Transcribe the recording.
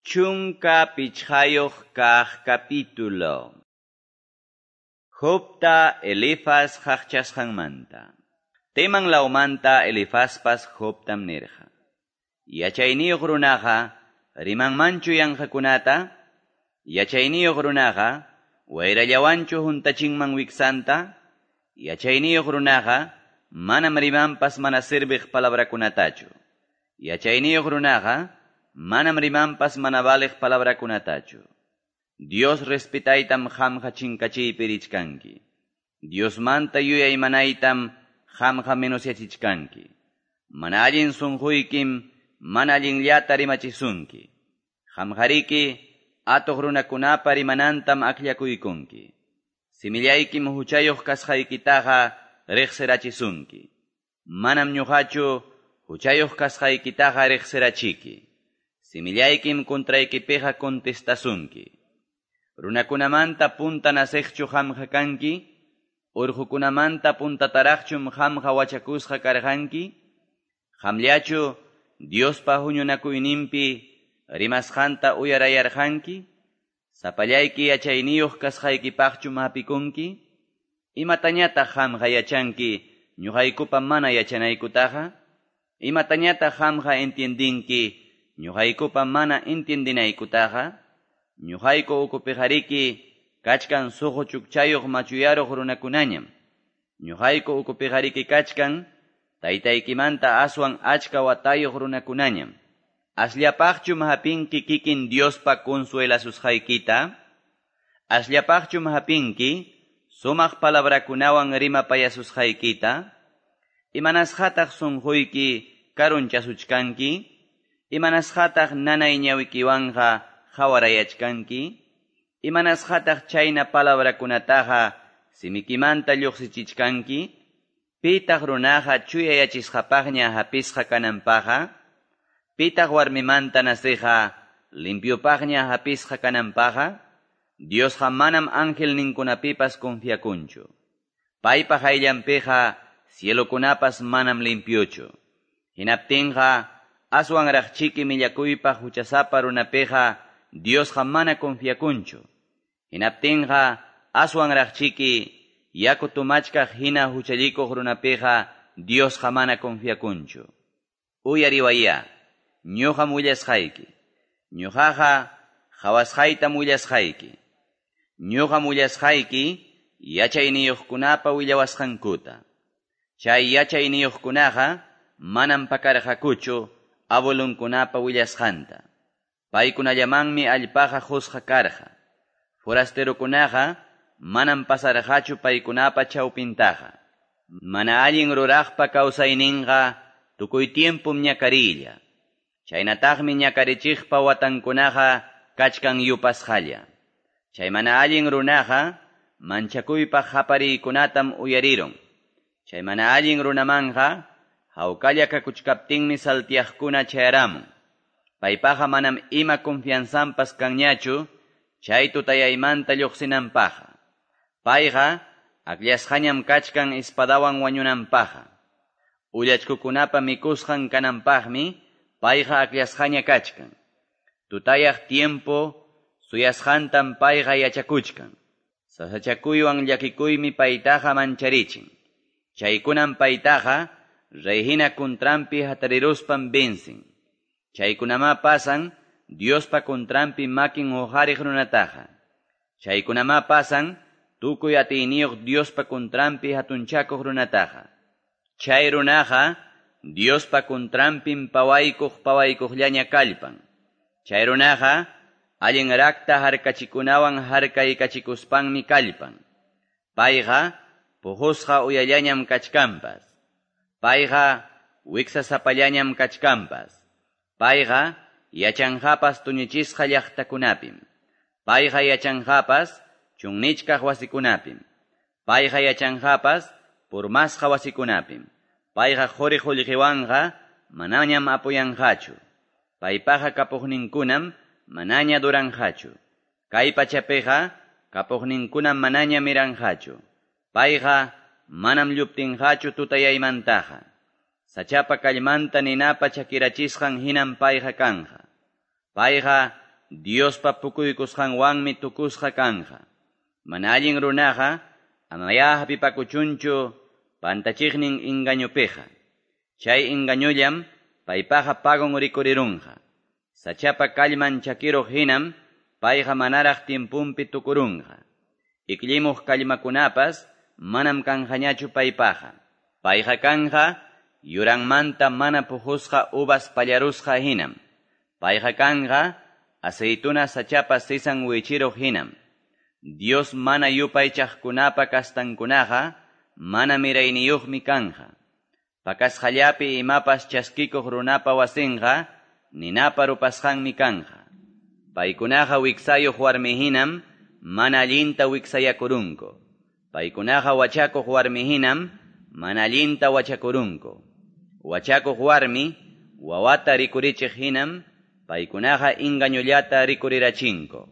15 kaq capítulo. Jobta Elifaz qaqchasqanmanta. Teman lawmanta Elifazpas Jobtam nirqa. Yachayniyuq runaqa rimanmanchu yanqakunata? Yachayniyuq runaqa wayrallawanchu huntachinman wiksanta? Yachayniyuq runaqa manam rimanpas mana sirviq palabrakunatachu. Yachayniyuq runaqa manam rimanpas mana valiq palabrakunatachu. Dios respetaytam qamqa chinkachiypi richkanki. Diosmanta yuyaymanaytam qamqa menosyachichkanki. Mana allin sunquykim mana allinllata rimachisunki. Qamqariki atuq runakunapa rimanantam akllakuykunki. Simillaykim huchayuq kasqaykitaqa riqsirachisunki. Manam ñuqachu huchayuq kasqaykitaqa riqsirachiki. Simillaykim contraykipiqa contestasunki. Runakunamanta punta naciqchu qamqa kanki? Urqukunamanta puntataraqchum qamqa wachakusqa karqanki? Qamllachu Diospa huñunakuyninpi rimasqanta uyarayarqanki? Sapallayki yachayniyuq kasqaykipaqchum hapikunki? Imatañataq qamqa yachanki ñuqaykupa mana yachanaykutaqa? Imatañataq qamqa entiendinki ñuqaykupa mana entiendinaykutaqa? Ñuqayku ukupiqariki kachkan suqu chukchayuq machuyaruq runakunañam. Ñuqayku ukupiqariki kachkan taytaykimanta aswan achka watayuq runakunañam. Asllapaqchum hapinki kikin Diospa consuelasusqaykita? Asllapaqchum hapinki sumaq palabrakunawan rimapayasusqaykita? Imanasqataq sunquyki karunchasuchkanki? Imanasqataq nanay ñawikiwanqa qawarayachkanki? Imanasqataq chayna palabrakunataqa simikimanta lluqsichichkanki? Pitaq runaqa chuyayachisqapaqña hapisqa kananpaqa? Pitaq warmimanta nasiqa limpiopaqña hapisqa kananpaqa? Diosqa manam angelninkunapipas confiakunchu. Paypa hayllanpiqa cielokunapas manam limpiochu. Hinaptinqa aswanraqchiki millakuypaq huchasapa runapiqa Diosqa mana confiakunchu. Hinaptinqa aswanraqchiki yaku tumachkaq hina huchallikuq runapiqa Diosqa mana confiakunchu. Uyariwaya, ñuqam willasqayki. Ñuqaqa qhawasqaytam willasqayki. Ñuqam willasqayki yachayniyuqkunapa willawasqankuta. Chay yachayniyuqkunaqa manam pakarqakuchu abuelunkunapa willasqanta. Paykunallamanmi allpaqa qusqa karqa. Forasterokunaqa manam pasarqachu paykunapa chawpintaqa. Mana allin ruraqpa kawsayninqa tukuy tiempum ñakarilla. Chaynataqmi ñakarichiqpa watankunaqa kachkan yupasqalla. Chay mana allin runaqa manchakuypaq qapariykunatam uyarirun. Chay mana allin runamanqa hawkalla kakuchkaptinmi saltiaqkuna chayaramun. Paypaqa manam ima confianzanpas kanñachu chay tutayaymanta lluqsinanpaqa. Payqa akllasqañam kachkan espadawan wañunanpaqa. Ullachkukunapa mikusqan kananpaqmi payqa akllasqaña kachkan. Tutayaq tiempo suyasqantam payqa yachakuchkan. Sasachakuywan llakikuymi paytaqa mancharichin. Chaykunam paytaqa reyhina kuntranpi hatariruspan vencen. Chaykunamá pasan Diospa kuntranpi makin uqariq runataqa. Chaykunamá pasan tukuy atiyniyuq Diospa kuntranpi hatunchakuq runataqa. Chay runaqa Diospa kuntranpim pawaykuq pawaykuqllaña kallpan. Chay runaqa allin rakta harkachikunawan harkaykachikuspanmi kallpan. Payqa puqusqa uyallañam kachkanpas. Payqa wiksasapallañam kachkanpas. Payqa yachanqapas tuñichisqa llaqtakunapim. Payqa yachanqapas chunnichkaq wasikunapim. Payqa yachanqapas purmasqa wasikunapim. Payqa quri qullqiwanqa manañam apuyanqachu. Paypaqa kapuqninkunam manaña duranqachu. Kay pachapiqa kapuqninkunam manaña miranqachu. Payqa manam lluptinqachu tutayaymantaqa. Sachapa kallmanta ninapa chakirachisqan hinam payqa kanqa. Payqa Diospa pukuykusqanwanmi tukusqa kanqa. Mana allin runaqa amayá hapipakuchunchu pantachiqnin engañopiqa. Chay engañollam paypaqa pagon rikurirunqa. Sachapa kallman chakiruq hinam payqa manaraq tiemponpi tukurunqa. Ikllimuq kallmakunapas manam kanqañachu paypaqa. Payqa kanqa yuranmanta mana puqusqa uvas pallarusqa hinam. Payqa kanqa aceituna sachapa sisan wichiruq hinam. Dios mana yupaychaqkunapa kastankunaqa mana mirayniyuqmi kanqa. Pakasqallapi imapas chaskikuq runapa wasinqa ninapa rupasqanmi kanqa. Paykunaqa wiksayuq warmi hinam mana allinta wiksayakurunku. Paykunaqa wachakuq warmi hinam mana allinta wachakurunku. Wachakuq warmi wawata rikurichiq hinam paykunaqa engañollata rikurirachinku.